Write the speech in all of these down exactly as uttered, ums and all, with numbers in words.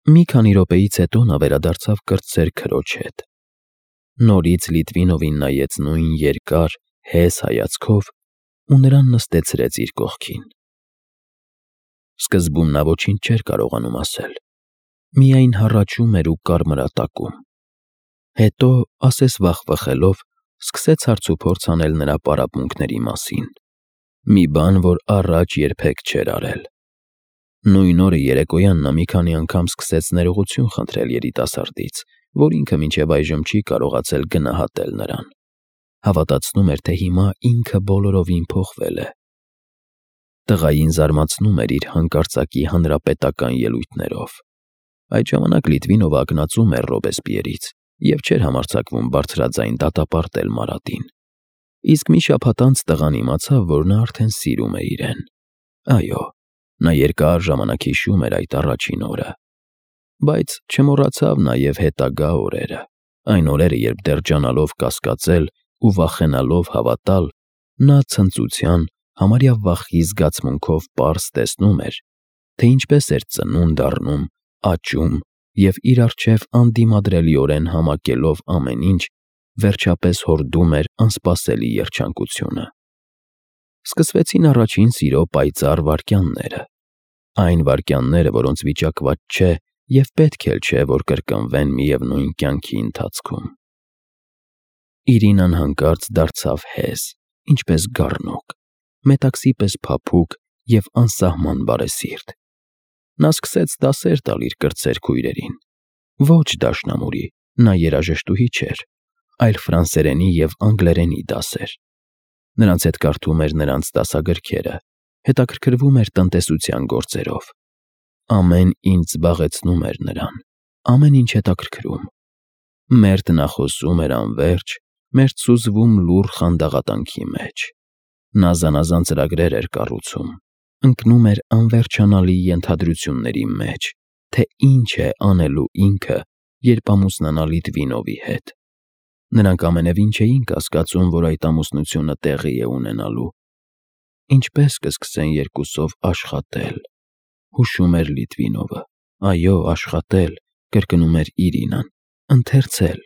Մի քանի րոպեից հետո նա վերադարձավ կրտսեր քրոջ հետ։ Նորից Լիտվինովին նայեց նույն երկար, հես հայացքով ու նրան նստեցրեց իր կողքին։ Սկզբում նա ոչինչ չէր կարողանում ասել, միայն հառաչում էր ու կարմրատակում։ Հետո, ասես վախվխելով, սկսեց հարցուփորձ անել նրա պարապմունքների մասին, մի բան, որ առաջ երբեք չէր արել։ Նույն օրը երեկոյան նա մի քանի անգամ սկսեց ներողություն խնդրել երիտասարդից, որ ինքը մինչև այժմ չի կարողացել գնահատել նրան։ Հավատացնում էր, թե հիմա ինքը բոլորովին փոխվել է։ Տղային զարմացնում էր իր հանկարծակի հանրապետական ելույթներով։ Այդ ժամանակ Լիտվինովը ակնածում էր Ռոբեսպիերից և չէր համարձակվում բարձրաձայն դատապարտել Մարատին։ Իսկ մի շաբաթ անց տղան իմացավ, որ նա արդեն սիրում է իրեն։ Այո, նա երկար ժամանակ հիշում էր այդ առաջին օրը։ Բայց չմոռացավ նաև հետագա օրերը, այն օրերը, երբ դեռ ջանալով կասկածել ու վախենալով հավատալ, նա ցնծության, համարյա վախի զգացմունքով պարզ տեսնում էր, թե ինչպես էր ծնունդ առնում, աճում և իր առջև անդիմադրելիորեն համակելով ամեն ինչ, վերջապես հորդում էր անսպասելի երջանկությունը։ Սկսվեցին առաջին սիրո պայծառ վայրկյանները, այն վայրկյանները, որոնց վիճակված չէ և պետք էլ չէ, որ կրկնվեն միևնույն կյանքի ընթացքում։ Իրինան հանկարծ դարձավ հեզ, ինչպես գառնոկ, մետաքսի պես փափուկ և անսահման բարեսիրտ։ Նա սկսեց դասեր տալ իր կրտսեր քույրերին։ Ոչ դաշնամուրի, նա երաժշտուհի չէր, այլ ֆրանսերենի և անգլերենի դասեր։ Նրանց հետ կարդում էր նրանց դասագրքերը, հետաքրքրվում էր տնտեսության գործերով։ Ամեն ինչ զբաղեցնում էր նրան, ամեն ինչ հետաքրքրում։ Մերթ նա խոսում էր անվերջ, մերթ սուզվում լուռ խանդաղատանքի մեջ։ Նա զանազան ծրագրեր էր կառուցում, ընկնում էր անվերջանալի ենթադրությունների մեջ, թե ինչ է անելու ինքը, երբ ամուսնանա Լիտվինովի հետ։ Նրանք ամենևին չէին կասկածում, որ այդ ամուսնությունը տեղի է ունենալու։ Ինչպե՞ս կսկսեն երկուսով աշխատել, հուշում էր Լիտվինովը։ Այո, աշխատել, կրկնում էր Իրինան, ընթերցել,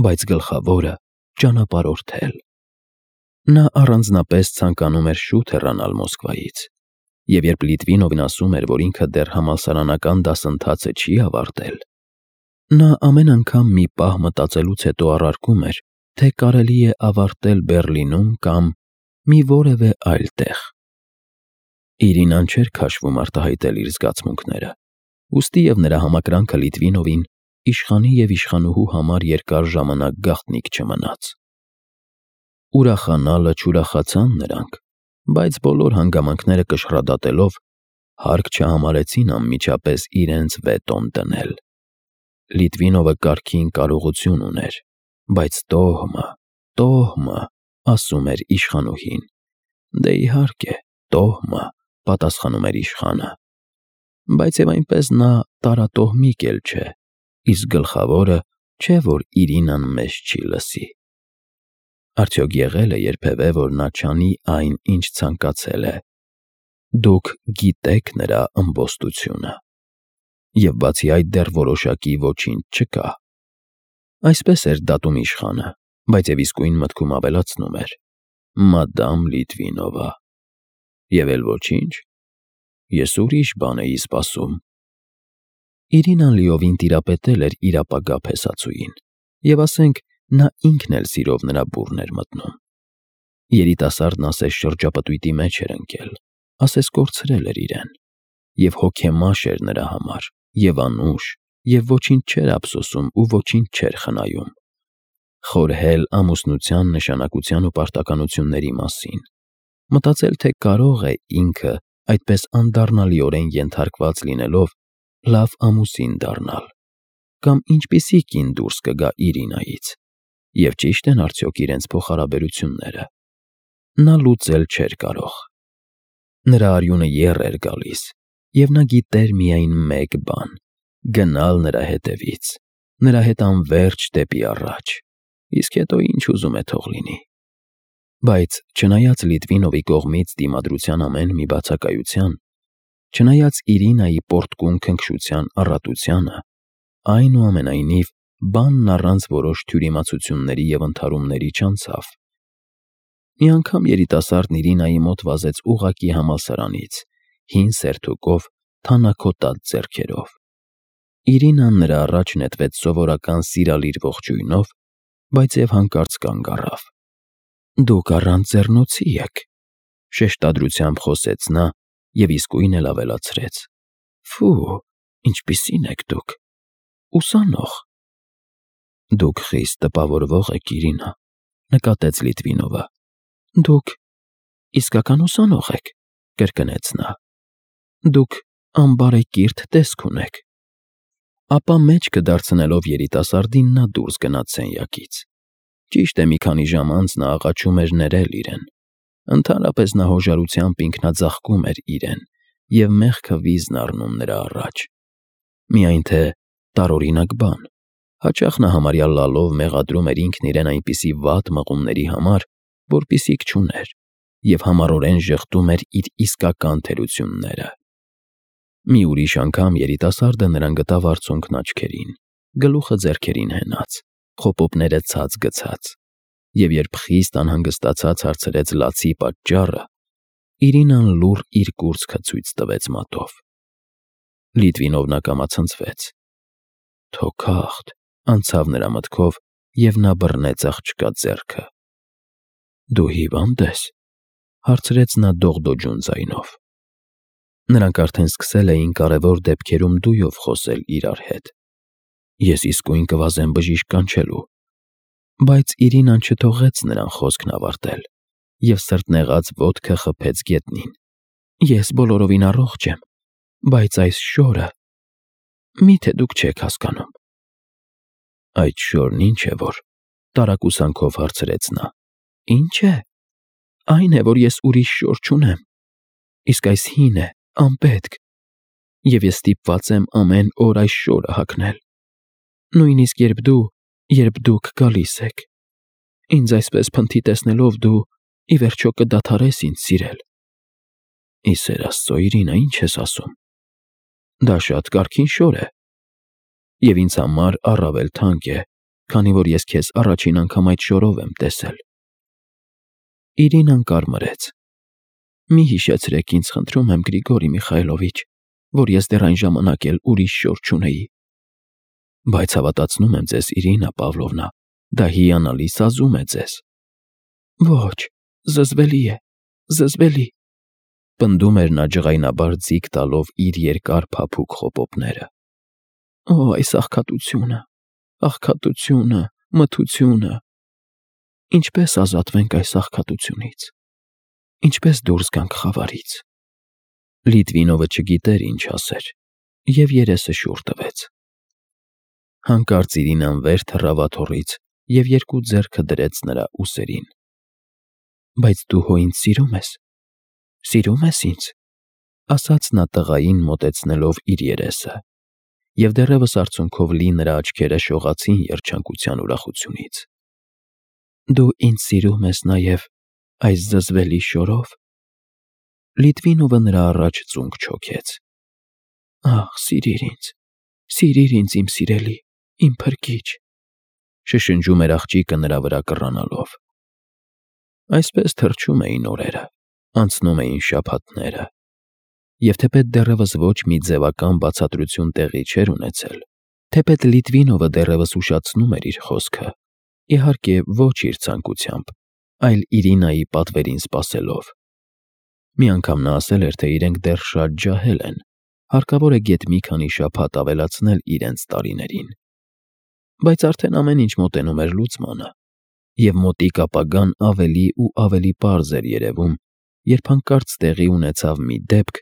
բայց գլխավորը՝ ճանապարհորդել։ Նա առանձնապես ցանկանում էր շուտ հեռանալ Մոսկվայից, և երբ Լիտվինովն ասում էր, որ ինքը դեռ համալսարանական դասընթացը չի ավարտել, նա ամեն անգամ մի պահ մտածելուց հետո առարկում էր, թե կարելի է ավարտել Բեռլինում կամ մի որևէ այլ տեղ։ Իրինան չէր քաշվում արտահայտել իր զգացմունքները, ուստի և նրա համակրանքը Լիտվինովին իշխանի և իշխանուհու համար երկար ժամանակ գաղտնիք չմնաց։ Ուրախանալը չուրախացան նրանք, բայց բոլոր հանգամանքները կշռադատելով, հարկ չհամարեցին անմիջապես իրենց վետոն դնել։ Լիտվինովը կարգին կարողություն ուներ, բայց տոհմը, տոհմը, ասում էր իշխանուհին։ Դե իհարկե, տոհմը, պատասխանում էր իշխանը։ Բայց և այնպես նա տարատոհմիկ էլ չէ, իսկ գլխավորը չէ, որ Իրինան մեզ չի լսի։ Արդյոք եղե՞լ է երբևէ, որ նա չանի այն, ինչ ցանկացել է։ Դուք գիտեք նրա ըմբոստությունը։ Եվ բացի այդ դեռ որոշակի ոչինչ չկա։ Այսպես էր դատում իշխանը, բայց և իսկույն մտքում ավելացնում էր. Մադամ Լիտվինովա։ Եվ էլ ոչինչ։ Ես ուրիշ բան էի սպասում։ Իրինան լիովին տիրապետել էր իր ապագա փեսացուին, և ասենք, նա ինքն էլ սիրով նրա բուրն էր մտնում։ Երիտասարդն ասես շրջապտույտի մեջ էր ընկել, ասես կորցրել էր իրեն, և հոգեմաշ էր նրա համար, և անուշ, և ոչինչ չէր ափսոսում ու ոչինչ չէր խնայում։ Խորհել ամուսնության նշանակության ու պարտականությունների մասին, մտածել, թե կարող է ինքը, այդպես անդառնալիորեն ենթարկված լինելով, լավ ամուսին դառնալ, կամ ինչպիսի կին դուրս կգա Իրինայից, և ճի՞շտ են արդյոք իրենց փոխհարաբերությունները։ Նա լուծել չէր կարող։ Նրա արյունը եռ էր գալիս, և նա գիտեր միայն մեկ բան՝ գնալ նրա հետևից, նրա հետ անվերջ դեպի առաջ, իսկ հետո ինչ ուզում է թող լինի։ Բայց չնայած Լիտվինովի կողմից դիմադրության ամեն մի բացակայության, Չնայած Իրինայի պորտկուն քնքշության առատությանը, այնուամենայնիվ բանն առանց որոշ թյուրիմացությունների և ընդհարումների չանցավ։ Մի անգամ երիտասարդն Իրինայի մոտ վազեց ուղղակի համալսարանից, հին սերթուկով, թանաքոտած ձեռքերով։ Իրինան նրա առաջ նետվեց սովորական սիրալիր ողջույնով, բայց և հանկարծ կանգ առավ։ «Դուք առանց ձեռնոցի եք», շեշտադրությամբ խոսեց նա և իսկույն էլ ավելացրեց. «Ֆու, ինչպիսի՞ն եք դուք, ուսանող»։ «Դուք խիստ տպավորվող եք, Իրինա», նկատեց Լիտվինովը։ «Դուք իսկական ուսանող եք», կրկնեց նա։ «Դուք անբարեկիրթ տեսք ունեք»։ Ապա մեջքը դարձնելով երիտասարդին նա դուրս գնաց սենյակից։ Ճիշտ է, մի քանի ժամ անց նա աղաչում էր ներել իրեն։ Ընդհանրապես նա հոժարությամբ ինքնաձաղկում էր իրեն և մեղքը վիզն առնում նրա առաջ։ Միայն թե տարօրինակ բան։ Հաճախ նա համարյա լալով մեղադրում էր ինքն իրեն այնպիսի վատ մղումների համար, որպիսիք չուներ, և համառորեն ժխտում էր իր իսկական թերությունները։ Մի ուրիշ անգամ երիտասարդը նրան գտավ արցունքն աչքերին, գլուխը ձեռքերին հենած, խոպոպները ցած գցած, և երբ խիստ անհանգստացած հարցրեց լացի պատճառը, Իրինան լուռ իր կուրծքը ցույց տվեց մատով։ Լիտվինովն ակամացնցվեց։ «Թոքախտ», անցավ նրա մտքով, և նա բռնեց աղջկա ձեռքը։ «Դու հիվա՞նդ ես», հարցրեց նա դողդոջուն ձայնով։ Նրանք արդեն սկսել էին կարևոր դեպքերում դույով խոսել իրար հետ։ «Ես իսկույն կվազեմ բժիշկ կանչելու»։ Բայց Իրինան չթողեց նրան խոսքն ավարտել և սրտնեղած ոտքը խփեց գետնին։ «Ես բոլորովին առողջ եմ, բայց այս շորը… Մի՞թե դուք չեք հասկանում»։ «Այդ շորն ի՞նչ է որ», տարակուսանքով հարցրեց նա։ «Ի՞նչ է։ Այն է, որ ես ուրիշ շոր չունեմ, իսկ այս հին է, անպետք, և ես ստիպված եմ ամեն օր այս շորը հագնել։ Նույնիսկ երբ դու, երբ դուք գալիս եք։ Ինձ այսպես փնթի տեսնելով դու, ի վերջո, կդադարես ինձ սիրել»։ «Ի սեր Աստծո, Իրինա, ի՞նչ ես ասում։ Դա շատ կարգին շոր է, և ինձ համար առավել թանկ է, քանի որ ես քեզ առաջին անգամ այդ շորով եմ տեսել»։ Իրինան կարմրեց։ «Մի հիշեցրեք ինձ, խնդրում եմ, Գրիգորի Միխայելովիչ, որ ես դեռ այն ժամանակ էլ ուրիշ շոր չունեի»։ «Բայց հավատացնում եմ ձեզ, Իրինա Պավլովնա, դա հիանալի սազում է ձեզ»։ «Ոչ, զզվելի է, զզվելի», պնդում էր նա ջղայնաբար ձիգ տալով իր երկար փափուկ խոպոպները։ «Օ, այս աղքատությունը, աղքատությունը, մթությունը… Ինչպե՞ս ազատվենք այս աղքատությունից, ինչպե՞ս դուրս գանք խավարից»։ Լիտվինովը չգիտեր ինչ ասեր և երեսը շուռ տվեց։ Հանկարծ Իրինան վեր թռավ աթոռից և երկու ձեռքը դրեց նրա ուսերին։ «Բայց դու հո ինձ սիրում ես, սիրում ես ինձ», ասաց նա տղային մոտեցնելով իր երեսը, և դեռևս արցունքով լի նրա աչքերը շողացին երջանկության ուրախությունից։ «Դու ինձ սիրում ես նաև այս զզվելի շորով»։ Լիտվինովը նրա առաջ ծունկ չոքեց։ «Ախ, սիրիր ինձ, սիրիր ինձ, իմ սիրելի, իմ փրկիչ», շշնջում էր աղջիկը նրա վրա կռանալով։ Այսպես թռչում էին օրերը, անցնում էին շաբաթները, և թեպետ դեռևս ոչ մի ձևական բացատրություն տեղի չէր ունեցել, թեպետ Լիտվինովը դեռևս ուշացնում էր իր խոսքը, իհարկե, ոչ իր ցանկությամբ, այլ Իրինայի պատվերին սպասելով։ Մի անգամ նա ասել էր, թե իրենք դեռ շատ ջահել են, հարկավոր է գեթ մի քանի շաբաթ ավելացնել իրենց տարիներին։ Բայց արդեն ամեն ինչ մոտենում էր լուծմանը, և մոտիկ ապագան ավելի ու ավելի պարզ էր երևում, երբ հանկարծ տեղի ունեցավ մի դեպք,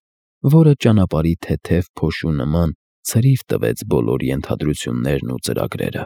որը ճանապարհի թեթև փոշու նման ցրիվ տվեց բոլոր ենթադրություններն ու ծրագրերը։